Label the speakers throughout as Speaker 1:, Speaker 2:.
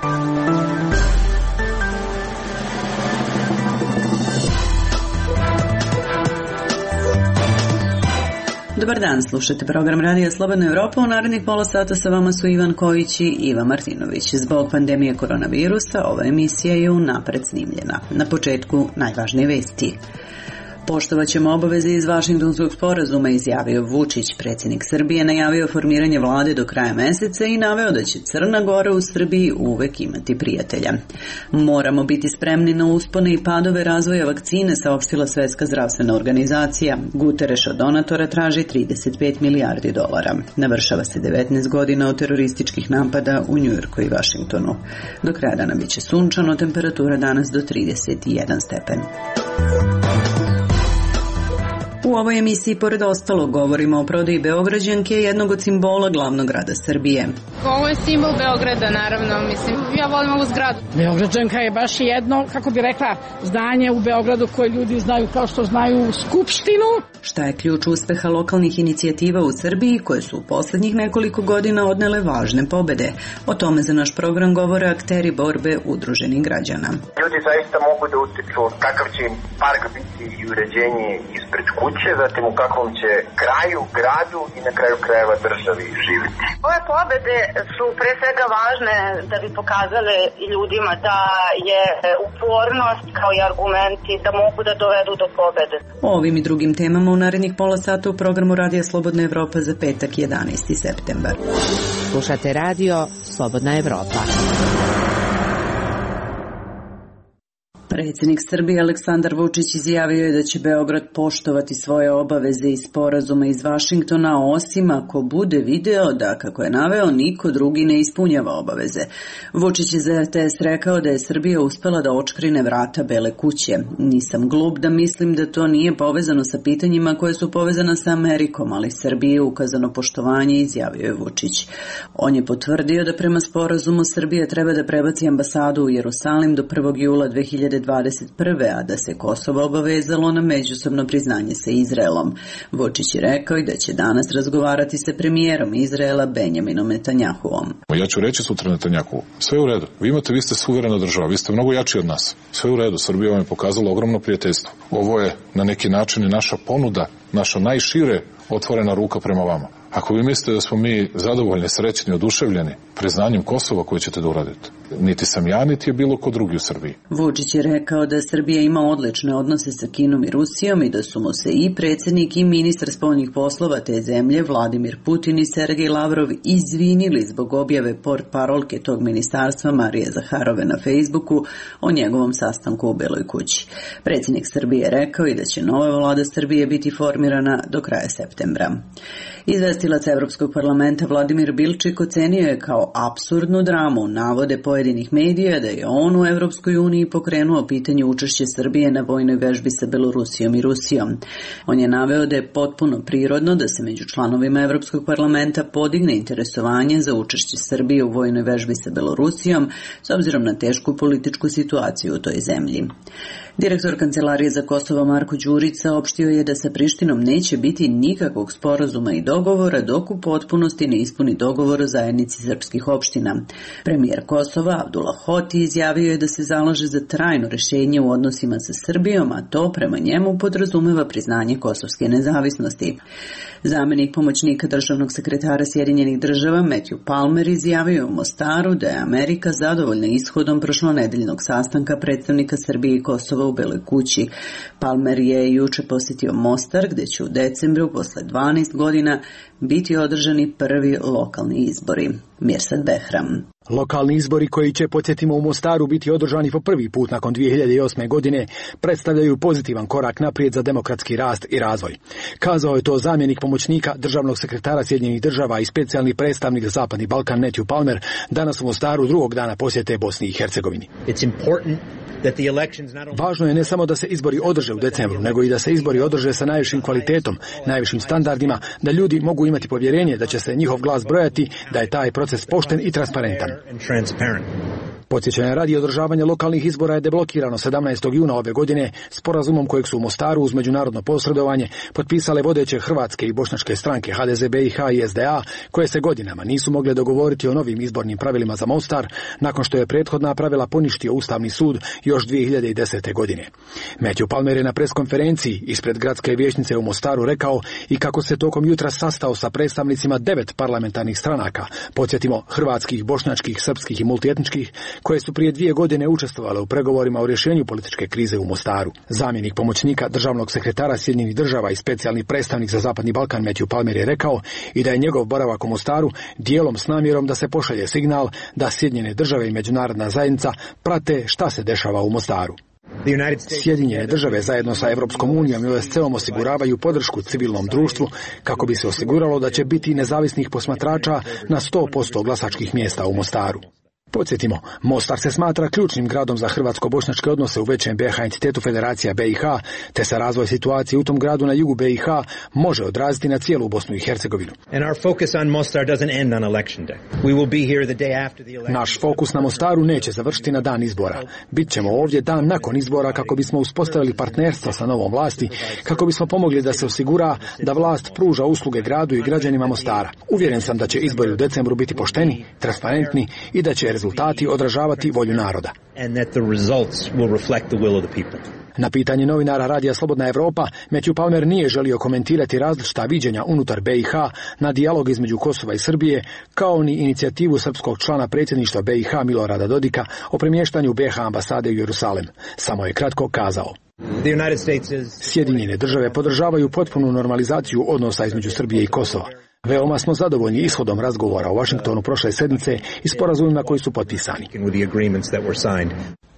Speaker 1: Dobar dan, slušate program Radija Slobodna Evropa. U narednih pola sata sa vama su Ivan Kojić i Iva Martinović. Zbog pandemije koronavirusa ova emisija je unapred snimljena. Na početku najvažnije vesti. Poštovaćemo obaveze iz Vašingtonskog sporazuma, izjavio Vučić. Predsjednik Srbije najavio formiranje vlade do kraja meseca i naveo da će Crna Gora u Srbiji uvek imati prijatelja. Moramo biti spremni na uspone i padove razvoja vakcine, saopštila Svetska zdravstvena organizacija. Guterres od donatora traži 35 milijardi dolara. Navršava se 19 godina od terorističkih napada u Njujorku i Vašingtonu. Do kraja dana biće sunčano, temperatura danas do 31 stepen. U ovoj emisiji, pored ostalog, govorimo o prodaji Beograđanke, jednog od simbola glavnog grada Srbije.
Speaker 2: Ovo je simbol Beograda, naravno, mislim, ja volim ovu zgradu.
Speaker 3: Beograđanka je baš jedno, kako bi rekla, zdanje u Beogradu koje ljudi znaju kao što znaju Skupštinu.
Speaker 1: Šta je ključ uspeha lokalnih inicijativa u Srbiji koje su u posljednjih nekoliko godina odnele važne pobede? O tome za naš program govore akteri borbe udruženih građana.
Speaker 4: Ljudi zaista mogu da utiču kakav će im park biti i uređenje ispred kuće, zatim u kakvom će kraju, gradu i na kraju krajeva državi živjeti.
Speaker 5: Ove pobede su pre svega važne da bi pokazale i ljudima da je upornost kao i argumenti da mogu da dovedu do pobede.
Speaker 1: O ovim i drugim temama u narednih pola sata u programu Radija Slobodna Evropa za petak 11. septembar.
Speaker 6: Slušate radio Slobodna Evropa.
Speaker 1: Predsjednik Srbije Aleksandar Vučić izjavio je da će Beograd poštovati svoje obaveze iz sporazuma iz Vašingtona, osim ako bude video da, kako je naveo, niko drugi ne ispunjava obaveze. Vučić je za RTS rekao da je Srbija uspela da očkrine vrata Bele kuće. Nisam glup da mislim da to nije povezano sa pitanjima koje su povezana sa Amerikom, ali Srbiji je ukazano poštovanje, izjavio je Vučić. On je potvrdio da prema sporazumu Srbija treba da prebaci ambasadu u Jerusalim do 1. jula 2021. a da se Kosovo obavezalo na međusobno priznanje sa Izraelom. Vučić je rekao i da će danas razgovarati sa premijerom Izraela Benjaminom Netanjahuom.
Speaker 7: Ja ću reći sutra Netanjahu, sve u redu, vi ste suverena država, vi ste mnogo jači od nas, sve u redu, Srbija vam je pokazala ogromno prijateljstvo. Ovo je na neki način i naša ponuda, naša najšire otvorena ruka prema vama. Ako vi mislite da smo mi zadovoljni, srećni, oduševljeni priznanjem Kosova koje ćete da uradite, niti sam ja, niti je bilo ko drugi u Srbiji.
Speaker 1: Vučić je rekao da Srbija ima odlične odnose sa Kinom i Rusijom i da su mu se i predsjednik i ministar spoljnih poslova te zemlje Vladimir Putin i Sergej Lavrov izvinili zbog objave portparolke tog ministarstva Marije Zaharove na Facebooku o njegovom sastanku u Beloj kući. Predsjednik Srbije je rekao i da će nova vlada Srbije biti formirana do kraja septembra. Izvestilac Evropskog parlamenta Vladimir Bilčik ocenio je kao apsurdnu dramu navode pojedinih medija da je on u Evropskoj uniji pokrenuo pitanje učešća Srbije na vojnoj vežbi sa Belorusijom i Rusijom. On je naveo da je potpuno prirodno da se među članovima Evropskog parlamenta podigne interesovanje za učešće Srbije u vojnoj vežbi sa Belorusijom s obzirom na tešku političku situaciju u toj zemlji. Direktor Kancelarije za Kosovo Marko Đurić saopštio je da sa Prištinom neće biti nikakvog sporazuma i dogovora dok u potpunosti ne ispuni dogovor o zajednici srpskih opština. Premijer Kosova Abdullah Hoti izjavio je da se zalaže za trajno rješenje u odnosima sa Srbijom, a to prema njemu podrazumeva priznanje kosovske nezavisnosti. Zamjenik pomoćnika državnog sekretara Sjedinjenih država Matthew Palmer izjavio u Mostaru da je Amerika zadovoljna ishodom prošlonedeljnog sastanka predstavnika Srbije i Kosova u Beloj kući. Palmer je juče posjetio Mostar, gdje će u decembru posle 12 godina biti održani prvi lokalni izbori. Mirsad Behram.
Speaker 8: Lokalni izbori koji će, podsjetimo, u Mostaru biti održani po prvi put nakon 2008. godine predstavljaju pozitivan korak naprijed za demokratski rast i razvoj. Kazao je to zamjenik pomoćnika državnog sekretara Sjedinjenih država i specijalni predstavnik za Zapadni Balkan Matthew Palmer danas u Mostaru drugog dana posjete Bosni i Hercegovini. Važno je ne samo da se izbori održe u decembru, nego i da se izbori održe sa najvišim kvalitetom, najvišim standardima, da ljudi mogu imati povjerenje da će se njihov glas brojati, da je taj proces pošten i transparentan. Podsjećanja radi održavanja lokalnih izbora je deblokirano 17. juna ove godine sporazumom kojeg su u Mostaru uz međunarodno posredovanje potpisale vodeće hrvatske i bošnjačke stranke HDZ BiH i SDA, koje se godinama nisu mogle dogovoriti o novim izbornim pravilima za Mostar, nakon što je prethodna pravila poništio Ustavni sud još 2010. godine. Matthew Palmer je na preskonferenciji ispred gradske vijećnice u Mostaru rekao i kako se tokom jutra sastao sa predstavnicima 9 parlamentarnih stranaka, podsjetimo hrvatskih, bošnjačkih, srpskih i multietničkih, koje su prije 2 godine učestvovale u pregovorima o rješenju političke krize u Mostaru. Zamjenik pomoćnika državnog sekretara Sjedinjenih država i specijalni predstavnik za Zapadni Balkan Matthew Palmer je rekao i da je njegov boravak u Mostaru dijelom s namjerom da se pošalje signal da Sjedinjene države i međunarodna zajednica prate šta se dešava u Mostaru. Sjedinjene države zajedno sa Europskom unijom i OSCE-om osiguravaju podršku civilnom društvu kako bi se osiguralo da će biti nezavisnih posmatrača na 100% glasačkih mjesta u Mostaru. Podsjetimo, Mostar se smatra ključnim gradom za hrvatsko-bošnjačke odnose u većem BiH entitetu Federacija BiH, te se razvoj situacije u tom gradu na jugu BiH može odraziti na cijelu Bosnu i Hercegovinu. Naš fokus na Mostaru neće završiti na dan izbora. Bićemo ovdje dan nakon izbora kako bismo uspostavili partnerstva sa novom vlasti, kako bismo pomogli da se osigura da vlast pruža usluge gradu i građanima Mostara. Uvjeren sam da će izbori u decembru biti pošteni, transparentni i da će rezultati odražavati volju naroda. Na pitanje novinara Radija Slobodna Evropa, Matthew Palmer nije želio komentirati različita viđenja unutar BiH na dijalog između Kosova i Srbije, kao ni inicijativu srpskog člana predsjedništva BiH Milorada Dodika o premještanju BiH ambasade u Jerusalem. Samo je kratko kazao: Sjedinjene države podržavaju potpunu normalizaciju odnosa između Srbije i Kosova. Veoma smo zadovoljni ishodom razgovora u Washingtonu prošle sedmice i sporazumima koji su potpisani.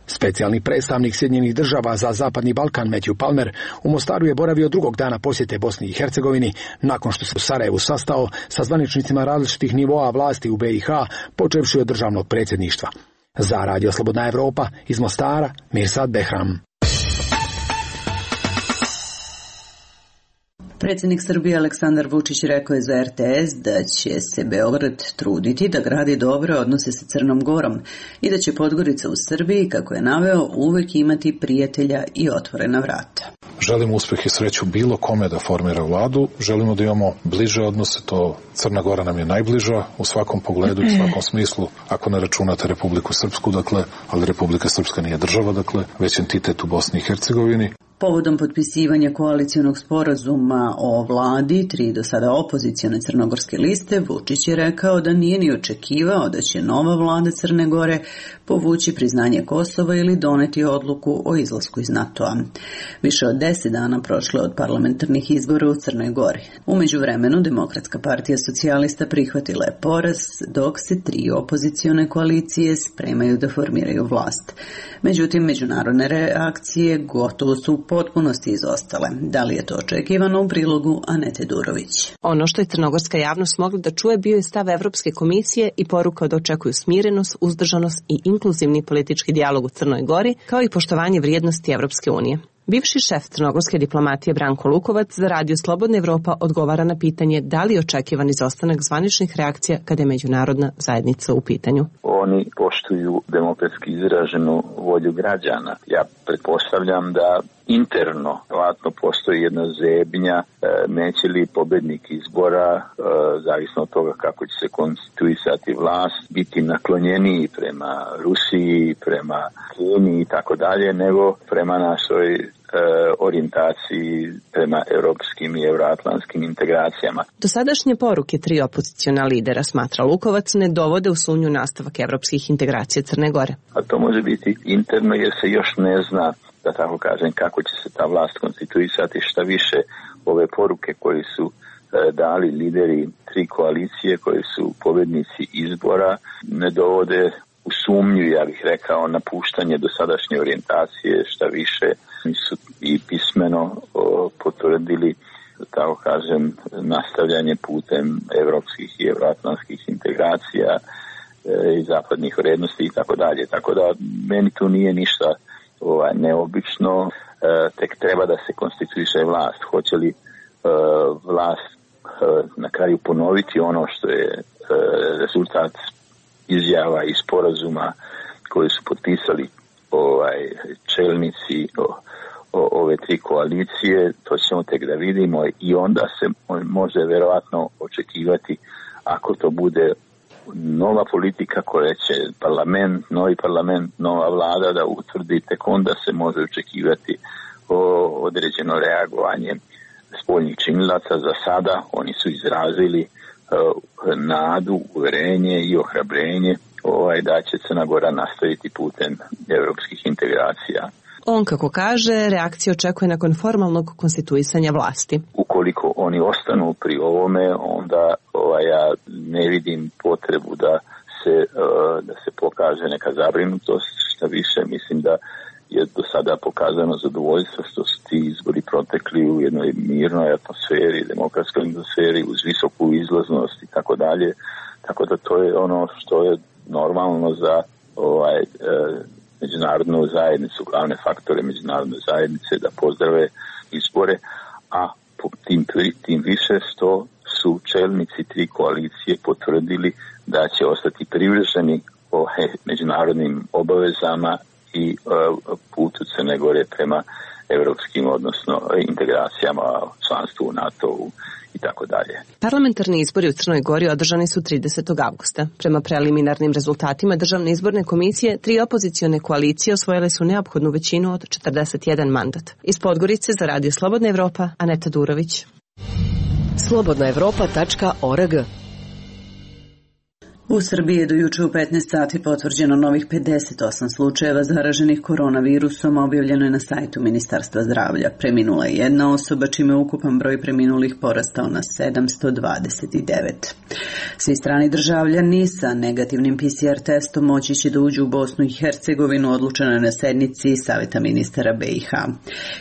Speaker 8: Specijalni predstavnik Sjedinjenih država za Zapadni Balkan Matthew Palmer u Mostaru je boravio drugog dana posjete Bosni i Hercegovini, nakon što se u Sarajevu sastao sa zvaničnicima različitih nivoa vlasti u BiH, počevši od državnog predsjedništva. Za Radio Slobodna Evropa iz Mostara, Mirsad Behram.
Speaker 1: Predsjednik Srbije Aleksandar Vučić rekao je za RTS da će se Beograd truditi da gradi dobre odnose sa Crnom Gorom i da će Podgorica u Srbiji, kako je naveo, uvijek imati prijatelja i otvorena vrata.
Speaker 7: Želimo uspjeh i sreću bilo kome da formira vladu, želimo da imamo bliže odnose, to Crna Gora nam je najbliža u svakom pogledu i u svakom smislu, ako ne računate Republiku Srpsku, dakle, ali Republika Srpska nije država, dakle, već entitet u Bosni i Hercegovini.
Speaker 1: Povodom potpisivanja koalicionog sporazuma o vladi 3 do sada opozicione crnogorske liste, Vučić je rekao da nije ni očekivao da će nova vlada Crne Gore povući priznanje Kosova ili doneti odluku o izlasku iz NATO-a. Više od 10 dana prošlo od parlamentarnih izbora u Crnoj Gori. U međuvremenu Demokratska partija socijalista prihvatila je poraz, dok se 3 opozicione koalicije spremaju da formiraju vlast. Međutim, međunarodne reakcije gotovo su u potpunosti izostale. Da li je to očekivano? U prilogu Anete Durović.
Speaker 9: Ono što je crnogorska javnost mogla da čuje bio je stav Evropske komisije i poruka da očekuju smirenost, uzdržanost i inkluzivni politički dijalog u Crnoj Gori, kao i poštovanje vrijednosti Evropske unije. Bivši šef crnogorske diplomatije Branko Lukovac za Radio Slobodna Evropa odgovara na pitanje da li je očekivan izostanak zvaničnih reakcija kada je međunarodna zajednica u pitanju.
Speaker 10: Oni poštuju demokratski izraženu volju građana. Ja pretpostavljam da interno vjerojatno postoji jedna zebnja, neće li pobednik izbora, zavisno od toga kako će se konstituisati vlast, biti naklonjeniji prema Rusiji, prema Kini i tako dalje, nego prema našoj orijentaciji prema europskim i euroatlantskim integracijama.
Speaker 9: Dosadašnje poruke 3 opoziciona lidera, smatra Lukovac, ne dovode u sumnju nastavak evropskih integracija Crne Gore.
Speaker 10: A to može biti interno jer se još ne zna, da tako kažem, kako će se ta vlast konstituisati. Šta više, ove poruke koje su dali lideri 3 koalicije koji su pobjednici izbora ne dovode u sumnju, ja bih rekao, napuštanje dosadašnje orijentacije. Šta više, su i pismeno potvrdili, da tako kažem, nastavljanje putem evropskih i euroatlantskih integracija i zapadnih vrijednosti i tako dalje. Tako da meni tu nije ništa neobično, tek treba da se konstituiše vlast. Hoće li vlast na kraju ponoviti ono što je rezultat izjava i sporazuma koje su potpisali čelnici ove tri koalicije, to ćemo tek da vidimo i onda se može verovatno očekivati, ako to bude nova politika koja će novi parlament, nova vlada da utvrdi, tek onda se može očekivati određeno reagovanje spoljnih činilaca. Za sada oni su izrazili nadu, uverenje i ohrabrenje da će Crna Gora nastaviti putem evropskih integracija.
Speaker 9: On, kako kaže, reakcija očekuje nakon formalnog konstituisanja vlasti.
Speaker 10: Ukoliko oni ostanu pri ovome, onda ja ne vidim potrebu da se pokaže neka zabrinutost. Šta više, mislim da je do sada pokazano zadovoljstvo što su ti izbori protekli u jednoj mirnoj atmosferi, demokratskoj atmosferi, uz visoku izlaznost i tako dalje. Tako da to je ono što je normalno za međunarodnu zajednicu, glavne faktore međunarodne zajednice da pozdrave izbore, a tim više što su čelnici tri koalicije potvrdili da će ostati privrženi međunarodnim obavezama i putu Crne Gore prema evropskim, odnosno integracijama, članstvu u NATO-u i tako dalje.
Speaker 9: Parlamentarni izbori u Crnoj Gori održani su 30. avgusta. Prema preliminarnim rezultatima Državne izborne komisije, 3 opozicione koalicije osvojile su neophodnu većinu od 41 mandat. Iz Podgorice za Radio Slobodna Evropa, Aneta Durović.
Speaker 6: slobodnaevropa.org.
Speaker 1: U Srbiji je do juče u 15 sati potvrđeno novih 58 slučajeva zaraženih koronavirusom, objavljeno je na sajtu Ministarstva zdravlja. Preminula je jedna osoba, čime je ukupan broj preminulih porastao na 729. Svi strani državljani sa negativnim PCR testom moći će da uđu u Bosnu i Hercegovinu, odlučeno je na sednici Saveta ministara BiH.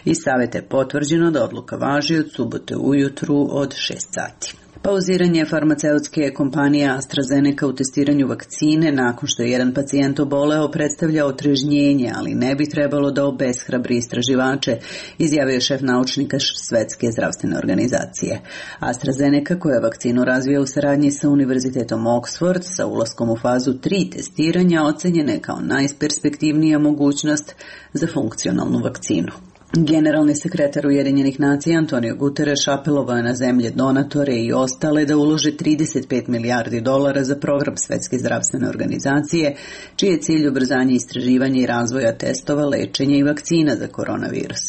Speaker 1: Iz Saveta je potvrđeno da odluka važi od subote ujutru od 6 sati. Pauziranje farmaceutske kompanije AstraZeneca u testiranju vakcine nakon što je jedan pacijent oboleo predstavlja otrežnjenje, ali ne bi trebalo da obeshrabri istraživače, izjavio je šef naučnika Svetske zdravstvene organizacije. AstraZeneca, koja vakcinu razvija u saradnji sa Univerzitetom Oxford, sa ulaskom u fazu 3 testiranja, ocenjena je kao najperspektivnija mogućnost za funkcionalnu vakcinu. Generalni sekretar Ujedinjenih nacija Antonio Guterres apelovao je na zemlje donatore i ostale da ulože $35 milijardi za program Svetske zdravstvene organizacije, čiji je cilj ubrzanje istraživanja i razvoja testova, lečenja i vakcina za koronavirus.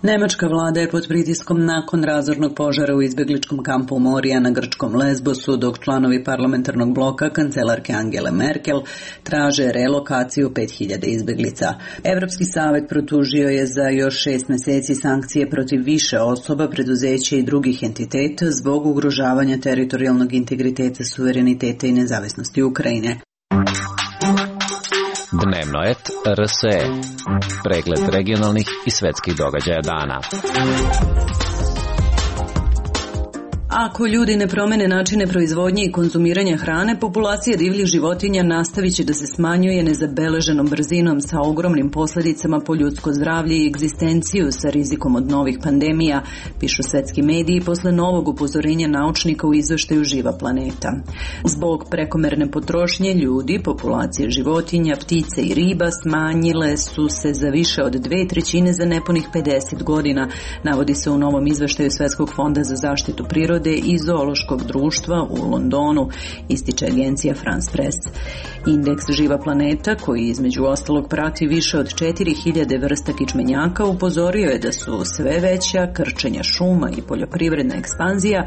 Speaker 1: Nemačka vlada je pod pritiskom nakon razornog požara u izbegličkom kampu Moria na grčkom Lesbosu, dok članovi parlamentarnog bloka kancelarke Angele Merkel traže relokaciju 5000 izbeglica. Evropski savet protužio je za još 6 meseci sankcije protiv više osoba, preduzeća i drugih entiteta zbog ugrožavanja teritorijalnog integriteta, suvereniteta i nezavisnosti Ukrajine.
Speaker 11: Dnevno et RSE. Pregled regionalnih i svetskih događaja dana.
Speaker 1: Ako ljudi ne promene načine proizvodnje i konzumiranja hrane, populacija divljih životinja nastavit će da se smanjuje nezabeleženom brzinom sa ogromnim posljedicama po ljudsko zdravlje i egzistenciju sa rizikom od novih pandemija, pišu svetski mediji posle novog upozorenja naučnika u izveštaju Živa planeta. Zbog prekomerne potrošnje ljudi, populacije životinja, ptica i riba smanjile su se za više od 2/3 za nepunih 50 godina, navodi se u novom izveštaju Svetskog fonda za zaštitu prirode i zoološkog društva u Londonu, ističe agencija France Press. Indeks Živa planeta, koji između ostalog prati više od 4000 vrsta kičmenjaka, upozorio je da su sve veća krčenja šuma i poljoprivredna ekspanzija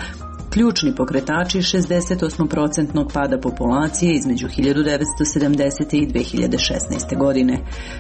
Speaker 1: ključni pokretači 68% pada populacije između 1970. i 2016. godine.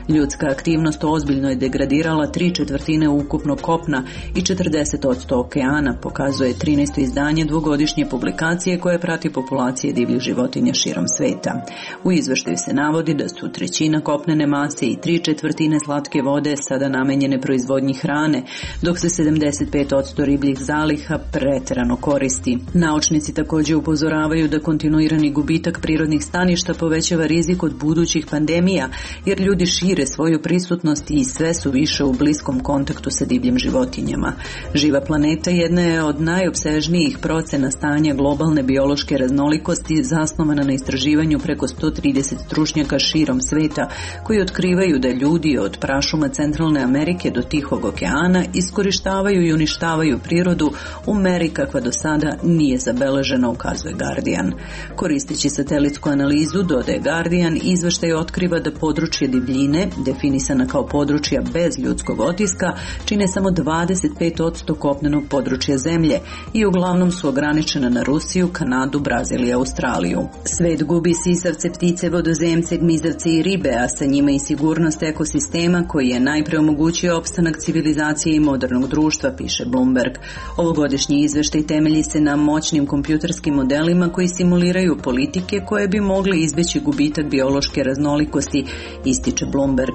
Speaker 1: Ljudska aktivnost ozbiljno je degradirala 3/4 ukupnog kopna i 40% okeana, pokazuje 13. izdanje dvogodišnje publikacije koje prati populacije divljih životinja širom sveta. U izveštaju se navodi da su 1/3 kopnene mase i 3/4 slatke vode sada namenjene proizvodnji hrane, dok se 75% ribljih zaliha preterano koristi. raznolikosti. Naučnici također upozoravaju da kontinuirani gubitak prirodnih staništa povećava rizik od budućih pandemija, jer ljudi šire svoju prisutnost i sve su više u bliskom kontaktu sa divljim životinjama. Živa planeta jedna je od najopsežnijih procena stanja globalne biološke raznolikosti, zasnovana na istraživanju preko 130 stručnjaka širom sveta, koji otkrivaju da ljudi od prašuma Centralne Amerike do Tihog okeana iskorištavaju i uništavaju prirodu u meri kakva do sada nije zabeležena, ukazuje Guardian. Koristeći satelitsku analizu, dodaje Guardian, izveštaj otkriva da područje divljine, definisana kao područja bez ljudskog otiska, čine samo 25% kopnenog područja zemlje i uglavnom su ograničena na Rusiju, Kanadu, Brazil i Australiju. Svet gubi sisavce, ptice, vodozemce, gmizavce i ribe, a sa njima i sigurnost ekosistema koji je najpre omogućio opstanak civilizacije i modernog društva, piše Bloomberg. Ovogodišnji izveštaj temelji se na moćnim kompjuterskim modelima koji simuliraju politike koje bi mogle izbeći gubitak biološke raznolikosti, ističe Bloomberg.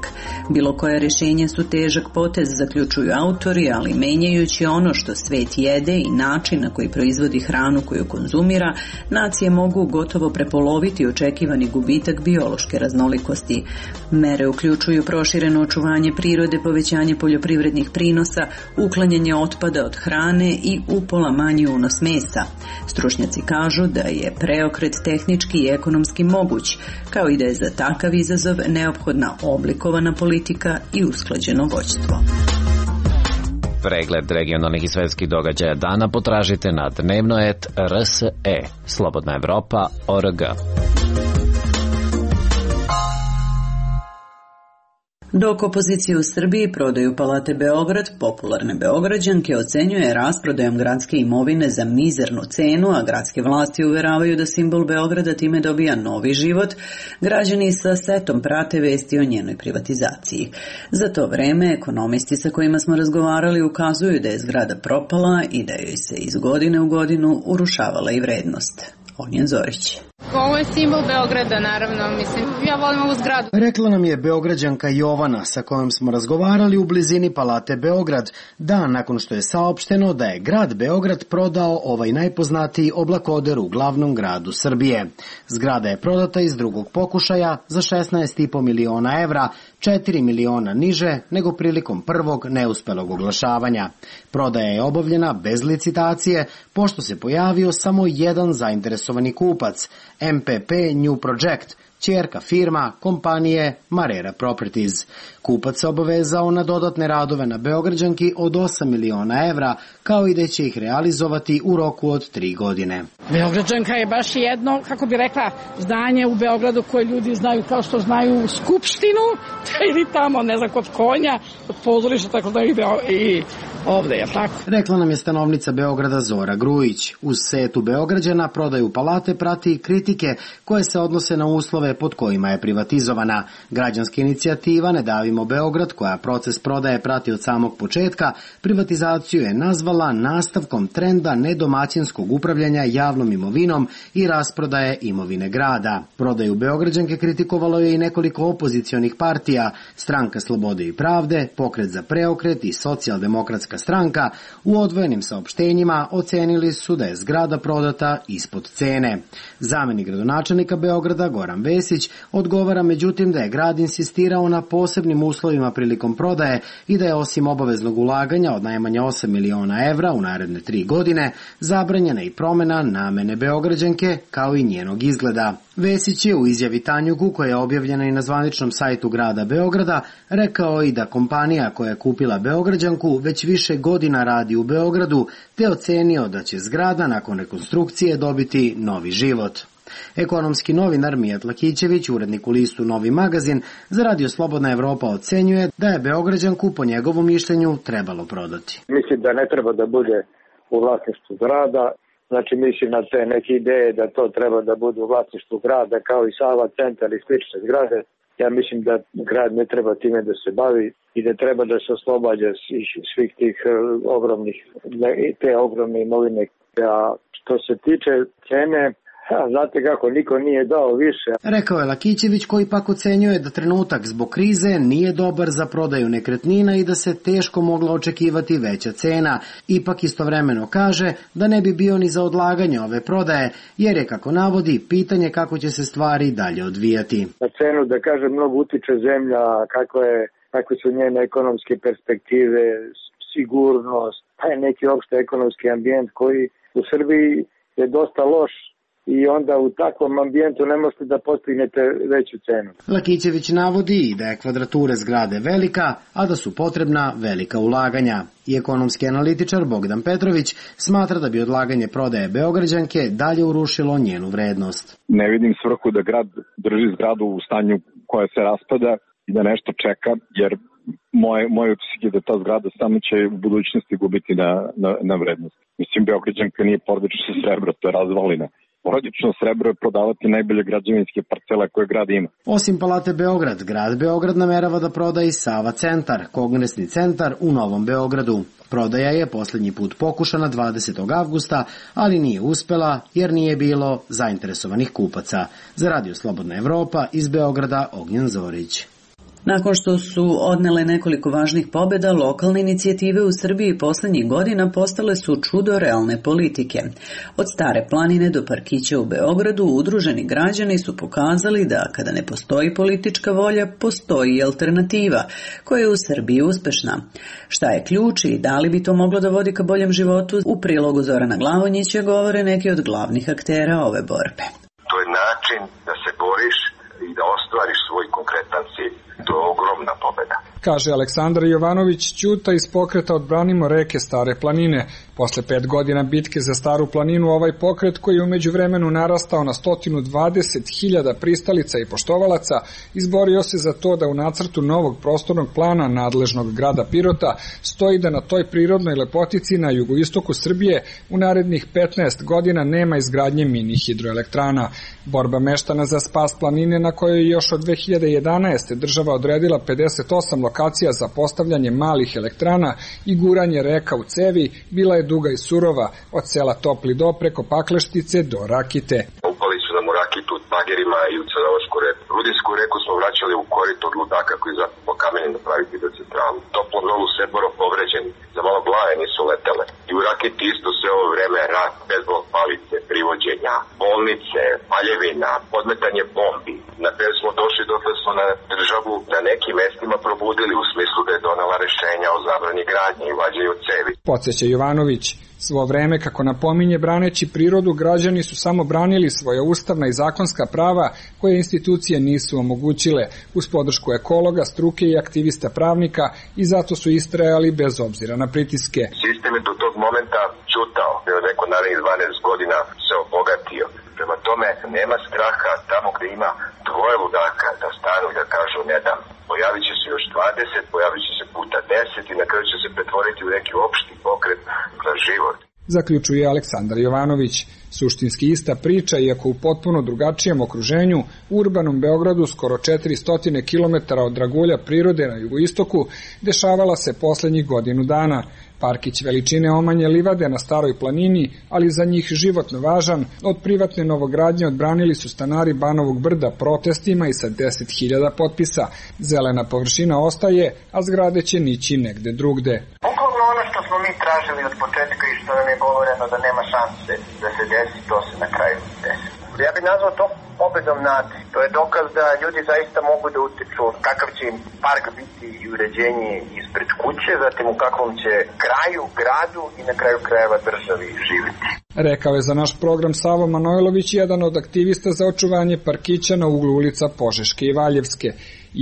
Speaker 1: Bilo koja rješenja su težak potez, zaključuju autori, ali menjajući ono što svet jede i način na koji proizvodi hranu koju konzumira, nacije mogu gotovo prepoloviti očekivani gubitak biološke raznolikosti. Mere uključuju prošireno očuvanje prirode, povećanje poljoprivrednih prinosa, uklanjanje otpada od hrane i upola manji unos mesa. Stručnjaci kažu da je preokret tehnički i ekonomski moguć, kao i da je za takav izazov neophodna oblikovana politika i usklađeno vođstvo.
Speaker 11: Pregled regionalnih i svetskih događaja dana potražite na dnevno.rse, Slobodna Evropa.org.
Speaker 1: Dok opozicija u Srbiji prodaju Palate Beograd, popularne Beograđanke ocenjuje rasprodajom gradske imovine za mizernu cenu, a gradske vlasti uveravaju da simbol Beograda time dobija novi život, građani sa setom prate vesti o njenoj privatizaciji. Za to vreme ekonomisti sa kojima smo razgovarali ukazuju da je zgrada propala i da joj se iz godine u godinu urušavala i vrednost. Ognjen Zorić.
Speaker 2: Ovo je simbol Beograda, naravno, mislim, ja volim ovu zgradu.
Speaker 12: Rekla nam je Beograđanka Jovana, sa kojom smo razgovarali u blizini Palate Beograd, dan nakon što je saopšteno da je grad Beograd prodao ovaj najpoznatiji oblakoder u glavnom gradu Srbije. Zgrada je prodata iz drugog pokušaja za 16,5 miliona evra, 4 miliona niže nego prilikom prvog neuspelog oglašavanja. Prodaja je obavljena bez licitacije, pošto se pojavio samo jedan zainteresovani kupac, MPP New Project, ćerka firma kompanije Marera Properties. Kupac se obavezao na dodatne radove na Beograđanki od 8 miliona evra, kao i da će ih realizovati u roku od 3 godine.
Speaker 3: Beograđanka je baš jedno, kako bi rekla, zdanje u Beogradu koje ljudi znaju kao što znaju Skupštinu, ili tamo, ne znam, kod konja, kod pozorišta, tako da i ovde je tako.
Speaker 12: Rekla nam je stanovnica Beograda Zora Grujić. Uz setu Beograđana prodaju palate prati kritike koje se odnose na uslove pod kojima je privatizovana. Građanska inicijativa Ne davimo Beograd, koja proces prodaje prati od samog početka, privatizaciju je nazvala nastavkom trenda nedomaćinskog upravljanja javnom imovinom i rasprodaje imovine grada. Prodaju Beograđanke kritikovalo je i nekoliko opozicionih partija, Stranka slobode i pravde, Pokret za preokret i Socijaldemokratska stranka. U odvojenim saopštenjima ocenili su da je zgrada prodata ispod cene. Zamenik gradonačelnika Beograda Goran Vesić odgovara međutim da je grad insistirao na posebnim uslovima prilikom prodaje i da je osim obaveznog ulaganja od najmanje 8 miliona evra u naredne 3 godine zabranjena i promjena namene Beograđanke kao i njenog izgleda. Vesić je u izjavi Tanjugu, koja je objavljena i na zvaničnom sajtu grada Beograda, rekao i da kompanija koja je kupila Beograđanku već više godina radi u Beogradu, te ocenio da će zgrada nakon rekonstrukcije dobiti novi život. Ekonomski novinar Mijat Lakićević, urednik u listu Novi magazin, za Radio Slobodna Evropa ocenjuje da je Beograđanku po njegovom mišljenju trebalo prodati.
Speaker 13: Mislim da ne treba da bude u vlasništvu grada. Znači, mislim na te neke ideje da to treba da bude u vlasništvu grada, kao i Sava centar i slične zgrade. Ja mislim da grad ne treba time da se bavi i da treba da se oslobađa svih tih ogromne imovine. A što se tiče cene, Znate kako, niko nije dao više.
Speaker 12: Rekao je Lakićević, koji pak ocenjuje da trenutak zbog krize nije dobar za prodaju nekretnina i da se teško mogla očekivati veća cena. Ipak istovremeno kaže da ne bi bio ni za odlaganje ove prodaje, jer je, kako navodi, pitanje kako će se stvari dalje odvijati.
Speaker 13: Na cenu, da kaže, mnogo utiče zemlja, kakve su njene ekonomske perspektive, sigurnost, taj neki opšte ekonomski ambijent koji u Srbiji je dosta loš i onda u takvom ambijentu ne možete da postignete veću cenu.
Speaker 12: Lakićević navodi da je kvadrature zgrade velika, a da su potrebna velika ulaganja. I ekonomski analitičar Bogdan Petrović smatra da bi odlaganje prodaje Beograđanke dalje urušilo njenu vrednost.
Speaker 14: Ne vidim svrhu da grad drži zgradu u stanju koja se raspada i da nešto čeka, jer moj utisak je da ta zgrada samo će u budućnosti gubiti na vrednost. Mislim, Beograđanka nije porodično srebro, to je razvalina. Porodično srebro je prodavati najbolje građevinske parcele koje grad ima.
Speaker 12: Osim Palate Beograd, grad Beograd namerava da proda i Sava centar, kongresni centar u Novom Beogradu. Prodaja je posljednji put pokušana 20. avgusta, ali nije uspela jer nije bilo zainteresovanih kupaca. Za Radio Slobodna Evropa iz Beograda, Ognjen Zorić.
Speaker 1: Nakon što su odnele nekoliko važnih pobjeda, lokalne inicijative u Srbiji posljednjih godina postale su čudo realne politike. Od Stare planine do parkića u Beogradu udruženi građani su pokazali da kada ne postoji politička volja, postoji i alternativa, koja je u Srbiji uspešna. Šta je ključ i da li bi to moglo da vodi ka boljem životu? U prilogu Zorana Glavonjića govore neki od glavnih aktera ove borbe.
Speaker 4: To je način da se boriš i da ostvariš svoj konkretan cilj. To je ogromna pobjeda.
Speaker 15: Kaže Aleksandar Jovanović Ćuta iz pokreta Odbranimo reke Stare planine. Posle 5 godina bitke za Staru planinu, ovaj pokret, koji je u međuvremenu narastao na 120.000 pristalica i poštovalaca, izborio se za to da u nacrtu novog prostornog plana nadležnog grada Pirota stoji da na toj prirodnoj lepotici na jugoistoku Srbije u narednih 15 godina nema izgradnje mini hidroelektrana. Borba meštana za spas planine, na kojoj je još od 2011. država odredila 58 lokacija za postavljanje malih elektrana i guranje reka u cevi, bila je duga i surova, od sela Topli Do preko Pakleštice do Rakite.
Speaker 4: Upali su nam u Rakitu od bagerima i u Crnogorsku reku. Rudinsku reku smo vraćali u korito od ludaka koji za po kamenu napraviti do centralu. Toplom Dolu Seboro povređeni, za malo glave nisu letele. I u Rakiti isto sve ovo vreme rat, bezbog palice, privođenja, bolnice, paljevina, podmetanje bombi. Na kraju smo došli do da smo na državu na nekim mestima probudili u smislu da je donela rešenja o zabrani gradnje i vađenju cevi.
Speaker 15: Podseća Jovanović. Svo vreme, kako napominje, braneći prirodu, građani su samo branili svoja ustavna i zakonska prava koje institucije nisu omogućile, uz podršku ekologa, struke i aktivista pravnika, i zato su istrajali bez obzira na pritiske.
Speaker 4: Sistem je do tog momenta čutao, neko narednih 12 godina se obogatio. Prema tome, nema straha tamo gde ima dvoje ludaka da stanu i da kažu ne dam. Pojavit će se još 20, pojavit će se puta 10 i na kraju će se pretvoriti u neki opšti pokret za život.
Speaker 15: Zaključuje Aleksandar Jovanović. Suštinski ista priča, iako u potpuno drugačijem okruženju, u urbanom Beogradu, skoro 400 km od dragulja prirode na jugoistoku, dešavala se poslednjih godinu dana. Parkić veličine omanje livade na Staroj planini, ali za njih životno važan, od privatne novogradnje odbranili su stanari Banovog brda protestima i sa 10.000 potpisa. Zelena površina ostaje, a zgrade će nići negde drugde.
Speaker 16: Bukvalno ono što smo mi tražili od početka i što nam je govoreno da nema šanse da se desi, to se na kraju desi. Ja bih nazvao to pobedom nade. To je dokaz da ljudi zaista mogu da utiču kakav će im park biti i uređenje ispred kuće, zatim u kakvom će kraju, gradu i na kraju krajeva državi živjeti.
Speaker 15: Rekao je za naš program Savo Manojlović, jedan od aktivista za očuvanje parkića na uglu ulica Požeške i Valjevske.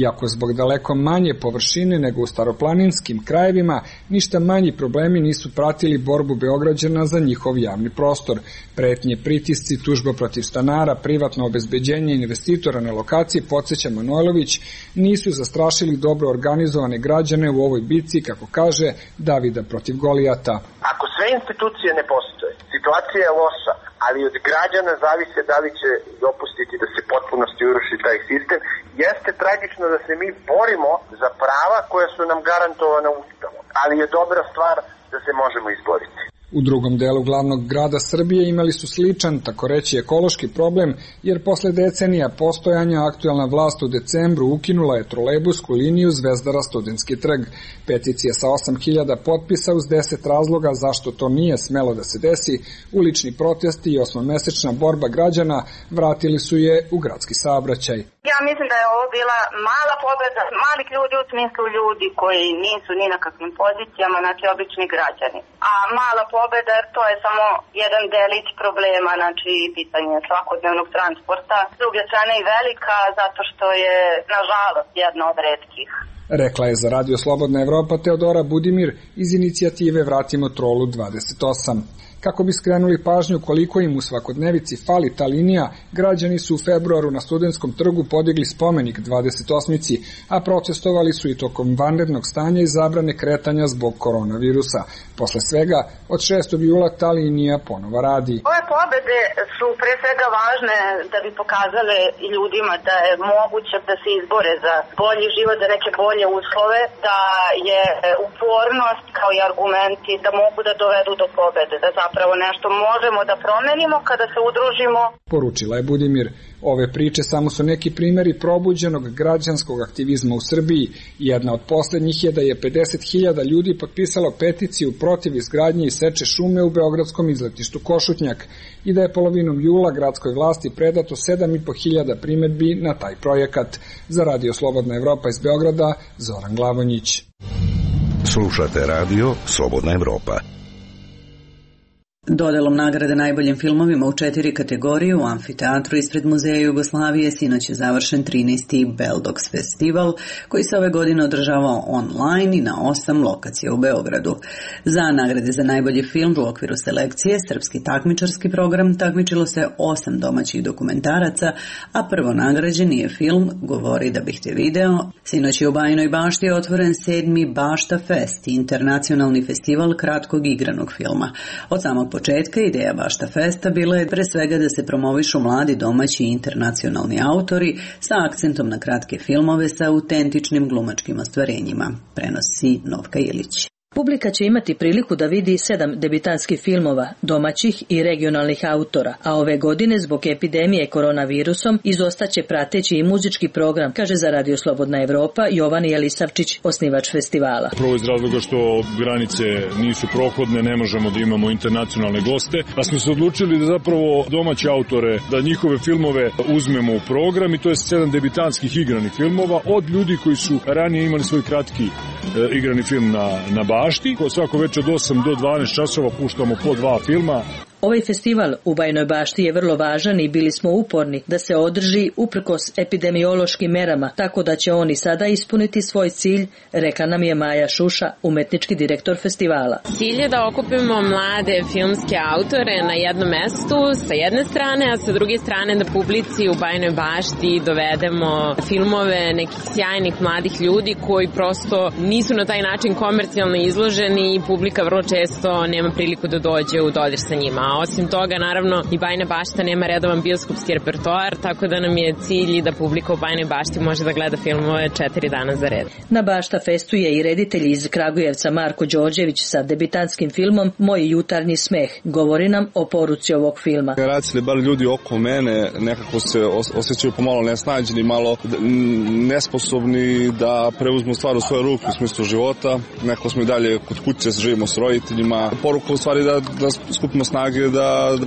Speaker 15: Iako zbog daleko manje površine nego u staroplaninskim krajevima, ništa manji problemi nisu pratili borbu Beograđana za njihov javni prostor. Pretnje, pritisci, tužba protiv stanara, privatno obezbeđenje investitora na lokaciji, podsjeća Manojlović, nisu zastrašili dobro organizovane građane u ovoj bitci, kako kaže, Davida protiv Golijata.
Speaker 16: Ako sve institucije ne postoje, situacija je loša, ali od građana zavise da li će dopustiti da se potpunosti uruši taj sistem. Jeste tragično da se mi borimo za prava koja su nam garantovana Ustavom, ali je dobra stvar da se možemo izboriti.
Speaker 15: U drugom delu glavnog grada Srbije imali su sličan, tako reći, ekološki problem, jer posle decenija postojanja aktuelna vlast u decembru ukinula je trolejbusku liniju Zvezdara Studentski trg. Peticija sa 8000 potpisa uz 10 razloga zašto to nije smelo da se desi, ulični protesti i 8-mesečna borba građana vratili su je u gradski saobraćaj.
Speaker 5: Ja mislim da je ovo bila mala pobeda malih ljudi u smislu ljudi koji nisu ni na kakvim pozicijama, znači obični građani. A mala pobeda jer to je samo jedan delić problema, znači pitanje svakodnevnog transporta. S druge strane i velika zato što je nažalost jedna od retkih.
Speaker 15: Rekla je za Radio Slobodna Evropa Teodora Budimir iz inicijative Vratimo trolu 28. Kako bi skrenuli pažnju koliko im u svakodnevici fali ta linija, građani su u februaru na Studentskom trgu podigli spomenik 28-ici, a protestovali su i tokom vanrednog stanja i zabrane kretanja zbog koronavirusa. Posle svega, od 6. jula ta linija ponova radi.
Speaker 5: Ove pobede su pre svega važne da bi pokazale ljudima da je moguće da se izbore za bolji život, za neke bolje uslove, da je upornost kao i argumenti da mogu da dovedu do pobede, da zapravo nešto možemo da promenimo kada se udružimo.
Speaker 15: Poručila je Budimir. Ove priče samo su neki primeri probuđenog građanskog aktivizma u Srbiji. Jedna od poslednjih je da je 50.000 ljudi potpisalo peticiju protiv izgradnje i seče šume u beogradskom izletištu Košutnjak i da je polovinom jula gradskoj vlasti predato 7.500 primedbi na taj projekat. Za Radio Slobodna Evropa iz Beograda, Zoran Glavonjić.
Speaker 17: Slušate Radio Slobodna Evropa.
Speaker 1: Dodelom nagrade najboljim filmovima u 4 kategorije u amfiteatru ispred Muzeja Jugoslavije sinoć je završen 13. Beldogs festival koji se ove godine održavao online i na 8 lokacija u Beogradu. Za nagrade za najbolji film u okviru selekcije Srpski takmičarski program takmičilo se 8 domaćih dokumentaraca, a prvo nagrađeni je film Govori da bih te video. Sinoć je u Bajinoj Bašti otvoren 7. Bašta Fest, internacionalni festival kratkog igranog filma. Od samog početka ideja Bašta Festa bila je pre svega da se promovišu mladi domaći i internacionalni autori sa akcentom na kratke filmove sa autentičnim glumačkim ostvarenjima, prenosi Novka Ilić.
Speaker 18: Publika će imati priliku da vidi 7 debitanskih filmova, domaćih i regionalnih autora, a ove godine zbog epidemije koronavirusom izostaće prateći i muzički program, kaže za Radio Slobodna Evropa Jovan Jelisavčić, osnivač festivala.
Speaker 19: Prvo iz razloga što granice nisu prohodne, ne možemo da imamo internacionalne goste, pa smo se odlučili da zapravo domaće autore, da njihove filmove uzmemo u program i to je 7 debitanskih igranih filmova od ljudi koji su ranije imali svoj kratki igrani film na Bašti. Svako večer od 8 do 12 časova puštamo po 2 filma.
Speaker 18: Ovaj festival u Bajinoj Bašti je vrlo važan i bili smo uporni da se održi uprkos epidemiološkim merama, tako da će oni sada ispuniti svoj cilj, rekla nam je Maja Šuša, umetnički direktor festivala.
Speaker 20: Cilj je da okupimo mlade filmske autore na jednom mestu sa jedne strane, a sa druge strane da publici u Bajinoj Bašti dovedemo filmove nekih sjajnih mladih ljudi koji prosto nisu na taj način komercijalno izloženi i publika vrlo često nema priliku da dođe u dodir sa njima. A osim toga, naravno, i Bajina Bašta nema redovan bioskopski repertoar, tako da nam je cilj da publika u Bajinoj Bašti može da gleda filmove 4 dana za red.
Speaker 18: Na Bašta Festu je i reditelj iz Kragujevca Marko Đorđević sa debitantskim filmom Moj jutarnji smeh. Govori nam o poruci ovog filma.
Speaker 21: Generacije, bar ljudi oko mene, nekako se osjećaju pomalo nesnađeni, malo nesposobni da preuzmu stvar u svoje ruke u smislu života. Neko smo i dalje kod kuće, živimo s roditeljima. Poruka u stvari da skupimo snage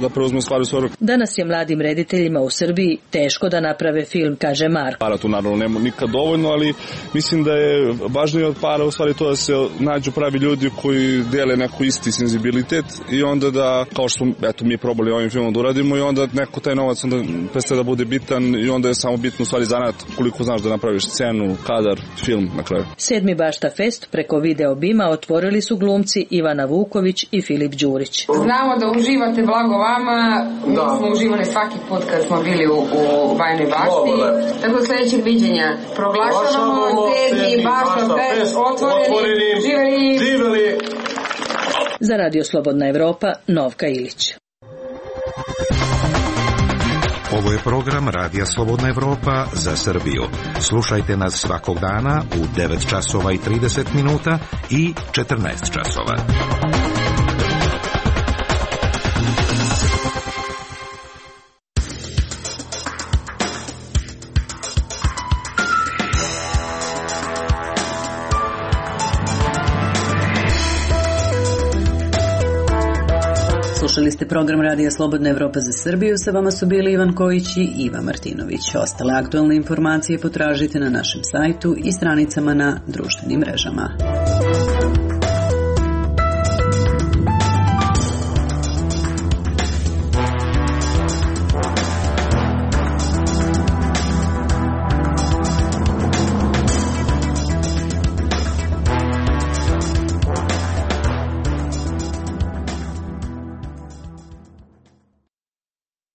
Speaker 21: da preuzme stvari u svoje ruke.
Speaker 18: Danas je mladim rediteljima u Srbiji teško da naprave film, kaže Marko.
Speaker 21: Para tu naravno nema nikad dovoljno, ali mislim da je važnije od para u stvari to da se nađu pravi ljudi koji dele neko isti senzibilitet i onda da, kao što smo mi probali ovim filmom da uradimo, i onda neko taj novac onda prestaje da bude bitan i onda je samo bitno u stvari zanat koliko znaš da napraviš scenu, kadar, film na kraju.
Speaker 18: 7. Bašta Fest preko video bima otvorili su glumci Ivana Vuković i Filip Đurić.
Speaker 22: Znamo da uživate, blago vama. Mi smo uživali svaki put kad smo bili u Bajinoj Bašti. Tako do sljedećeg viđenja. Proglašavamo 7. Bašta Fest otvoreni. Živeli!
Speaker 18: Za Radio Slobodna Evropa, Novka Ilić.
Speaker 17: Ovo je program Radija Slobodna Evropa za Srbiju. Slušajte nas svakog dana u 9 časova i 30 minuta i 14 časova.
Speaker 1: ste program Radija Slobodna Evropa za Srbiju, sa vama su bili Ivan Kojić i Iva Martinović. Ostale aktualne informacije potražite na našem sajtu i stranicama na društvenim mrežama.